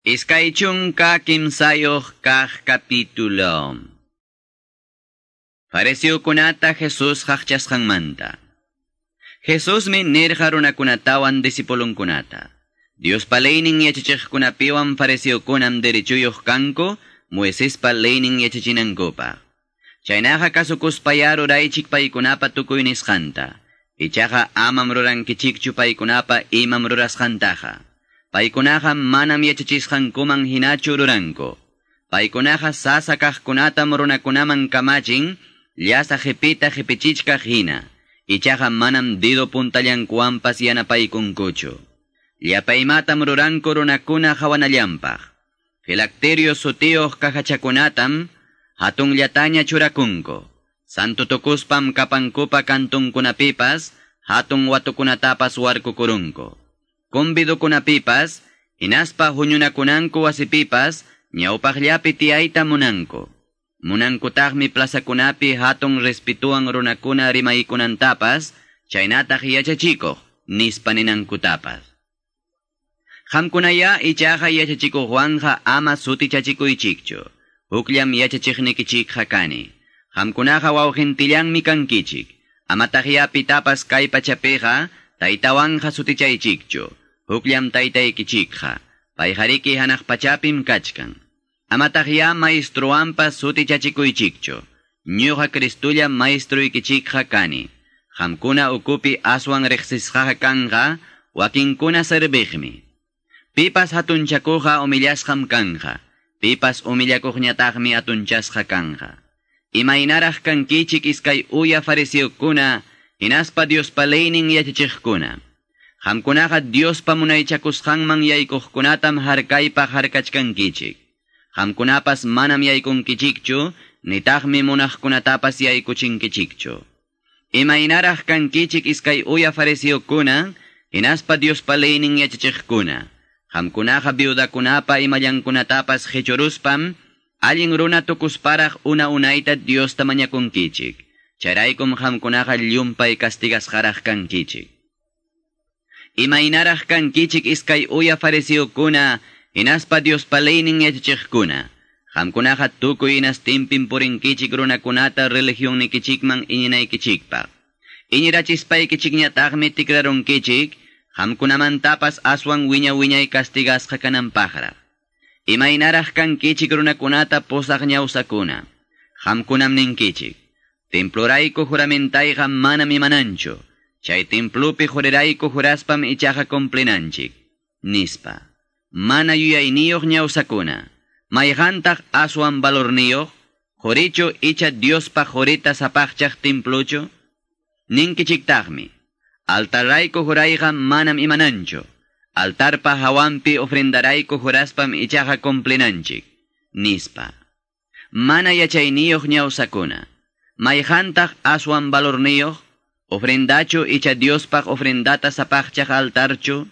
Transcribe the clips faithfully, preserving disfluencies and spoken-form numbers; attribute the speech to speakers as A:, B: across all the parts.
A: Iskay chunka kimsayuq kaq capítulo. Fariseokunata Jesús qaqchasqanmanta. Jesusmi nirqa runakunatawan discipulunkunata. Diospa leynin yachachiqkunapiwan fariseokunam derechuyuq kanku Moisespa leynin yachachinankupaq. Chaynaqa kasukuspayá ruraychik paykunapa tukuy nisqanta. Ichaqa amam rurankichikchu paykunapa imam rurasqantaqa. Paykunaqa manam yachachisqankuman hinachu ruranku. Paykunaqa sasa kaqkunatam runakunaman kamachin, llasa qipita qipichichkaq hina. Ichaqa manam dedo puntallankuwanpas yanapaykunkuchu. Llapa imatam ruranku runakuna hawanallanpaq. Filacterio sutiyuq cajachakunatam hatunllataña churakunku. Santo tukuspam kapankupa kantunkunapipas, hatun watukunatapas warkukurunku. Convidukunapipas, hinaspa huñunakunanku wasipipas, ñawpaqllapi tiyayta munanku. Munankutaqmi plazakunapi hatun respituwan runakuna rimaykunantapas, chaynataq yachachikuq, nispa ninankutapas. Qamkunaya ichaqa yachachikuqwanqa ama sutichachikuychikchu. Hukllam yachachiqnikichikqa kani. Qamkunaqa wawqintillanmi kankichik. Amataqya pitapas kay pachapiqa, taytawanqa sutichaychikchu. Hukllam taytaykichikqa. Payqariki hanaq pachapim kachkan. Amataqya maestruwanpas sutichachikuychikchu. Ñuqa Cristullam maestruykichikqa kani. Qamkuna ukupi aswan riqsisqaqa kanqa, wakinkuna serviqmi. Pipas hatunchakuqqa humillasqam kanqa. Pipas humillakuqñataqmi hatunchasqa kanqa. Imaynaraq kankichik iskay uya fariseokuna, hinaspa Diospa leynin yachachiqkuna. Qamkunaqa Diospa munaychakusqanman yaykuqkunatam harkaypaq harkachkankichik. Qamkunapas manam yaykunkichikchu, nitaqmi munaqkunatapas yaykuchinkichikchu. Imaynaraq kankichik iskay uya fariseokuna, hinaspa Diospa leynin yachachiqkuna. Qamkunaqa viudakunapa imallankunatapas qichuruspam, allin runa tukusparaq una unayta Diosta mañakunkichik. Chayraykum qamkunaqa llumpay castigasqaraq kankichik. Imaynaraq kankichik iskay uya fariseokuna, hinaspa Diospa leynin yachachiqkuna. Qamkunaqa tukuy hinastinpim purinkichik runakunata religionnikichikman iñinaykichikpaq. Iñirachispaykichikñataqmi tikrarunkichik, qamkunamantapas aswan wiña wiñay castigasqa kananpaqraq. Imaynaraq kankichik runakunata pusaq ñawsakuna. Qamkunam ninkichik. Templorayku juramentayqa manam imananchu. Chay templopi jurirayku juraspam ichaqa cumplinanchik. Nispa. Mana yuyayniyuq ñawsakuna. Mayqantaq aswan valorniyuq, qurichu icha Diospa qurita sapaqchaq templuchu? Ninkichiktaqmi. Altarrayku jurayqa manam imananchu. Altarpa hawanpi ofrendarayku juraspam ichaqa cumplinanchik. Nispa. Mana yachayniyuq ñawsakuna. Mayqantaq aswan valorniyuq, ofrendachu icha Diospaq ofrendata sapaqchaq altarchu?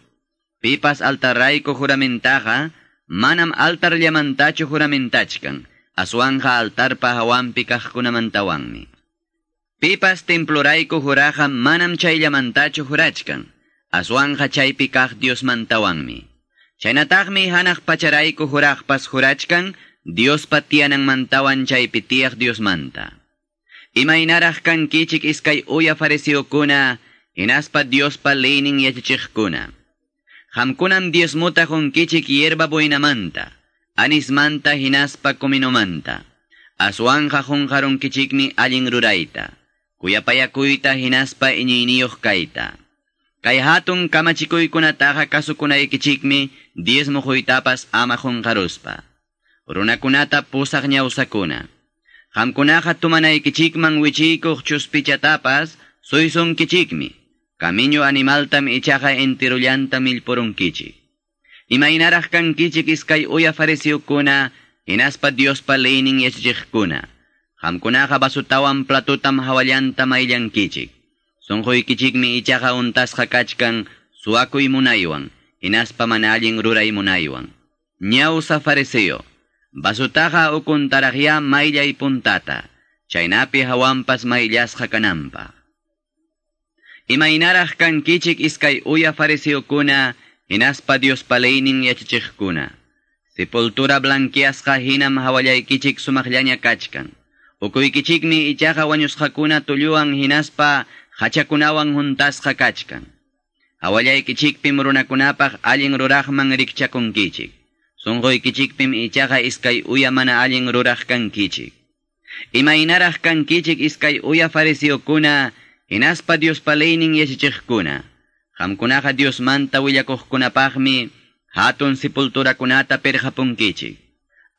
A: Pipas altarrayku juramentaqa, manam altarllamantachu juramentachkan, aswanqa altarpa hawanpi kaqkunamantawanmi. Pipas templorayku juraqa manam chayllamantachu jurachkan, aswanqa chaypi kaq Diosmantawanmi. Chaynataqmi hanaq pacharayku juraqpas jurachkan, Diospa tiyananmantawan chaypi tiyaq Diosmanta. Imaynaraq kankichik iskay uya fariseokuna, hinaspa Diospa leynin yachachiqkuna. Qamkunam diezmota qunkichik hierba buenamanta, anismanta hinaspa cominomanta. Aswanqa qunqarunkichikmi allin rurayta, kuyapayakuyta hinaspa iñiyniyuq kayta. Kay hatun kamachikuykunataqa kasukunaykichikmi diezmo quytapas ama qunqaruspa. Runakunata pusaq ñawsakuna. Qamkunaqa tumanaykichikman wichiykuq chuspichatapas suysunkichikmi. Kamiñu animaltam ichaqa enterullanta millpurunkichik. Imaynaraq kankichik iskay uya fariseokuna, hinaspa Diospa leynin yachachiqkuna. Qamkunaqa vasutawan platutam hawallanta mayllankichik. Sunquykichikmi ichaqa untasqa kachkan suwakuy munaywan, hinaspa mana allin ruray munaywan. Ñawsa fariseo, vasutaqa ukuntaraqya mayllay puntata, chaynapi hawanpas mayllasqa kananpaq. Imaynaraq kankichik iskay uya fariseokuna, hinaspa Diospa leynin yachachiqkuna. Sepultura blanqueasqa hinam hawallaykichik sumaqllaña kachkan. Ukuykichikmi ichaqa wañusqakuna tulluwan hinaspa hachakunawan huntasqa kachkan. Hawallaykichikpim runakunapaq allin ruraqman rikchakunkichik. Sunquykichikpim ichaqa iskay uya mana allin ruraq kankichik. Imaynaraq kankichik iskay uya fariseokuna hinaspa Diospa leynin yachachiqkuna. Qamkunaqa Diosmanta willakuqkunapaqmi hatun sepulturakunata pirqapunkichik.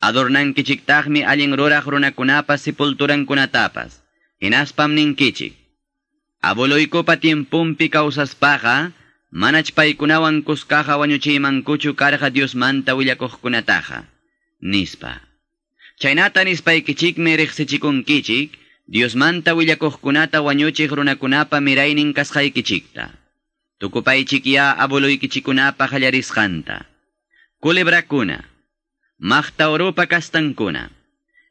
A: Adornankichiktaqmi allin ruraq runakunapa sepulturankunatapas. Hinaspam ninkichik. Abueloykupa tiempumpi kawsaspaqa, manach paykunawan kuskaqa wañuchiymankuchu karqa Diosmanta willakuqkunataqa, nispa. Chaynata nispaykichikmi riqsichikunkichik, Diosmanta willakuqkunata wañuchiq runakunapa miraynin kasqaykichikta. Tukupaychik ya abueloykichikunapa qallarisqanta. Culebrakuna, maqta urupa kastankuna,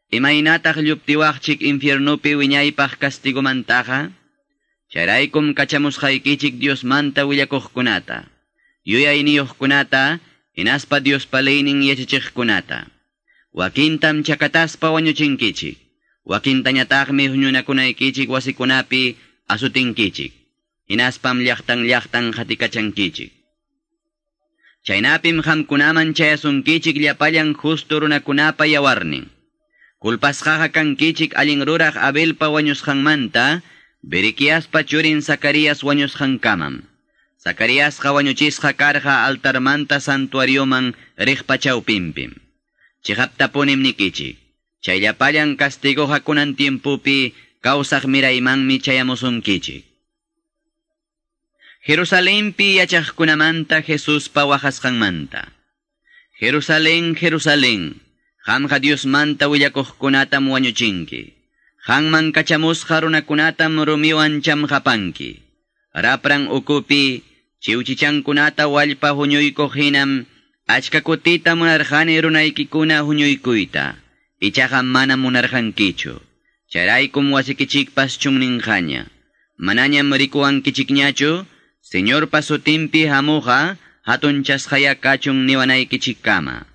A: imaynataq lluptiwaqchik infiernupi wiñaypaq castigumantaqa? Chayraykum kachamusqaykichik Diosmanta willakuqkunata, yuyayniyuqkunata, hinaspa Diospa leynin yachachiqkunata. Wakintam chakataspa wañuchinkichik, wakintañataqmi huñunakunaykichik wasikunapi asutinkichik, hinaspam llaqtan llaqtan qatikachankichik. Chaynapim qamkunaman chayasunkichik llapallan justo runakunapa yawarnin. Culpasqaqa kankichik allin ruraq Abelpa wañusqanmanta, Berequiaspa churin Zacarías wañusqankamam. Zacaríasqa wañuchisqa karqa altarmanta santuarioman riqpa chawpinpim. Chiqaptapunim nikichik. Chay llapallan castigoqa kunan tiempupi kawsaq miraymanmi chayamusunkichik. Jerusalenpi yachaqkunamanta Jesuspa waqasqanmanta. Jerusalén, Jerusalén, qamqa Diosmanta willakuqkunatam wañuchinki. Qanman kachamusqa runakunatam rumiwan chamqapanki. Rapran ukupi chiwchichankunata wallpa huñuykuq hinam achka kutita munarqani runaykikuna huñuykuyta. Ichaqa mana munarqankichu. Chayraykum wasikichikpas chunninqaña. Manañam rikuwankichikñachu, Señorpa sutinpi hamuqa hatunchasqaya kachun niwanaykichikkama.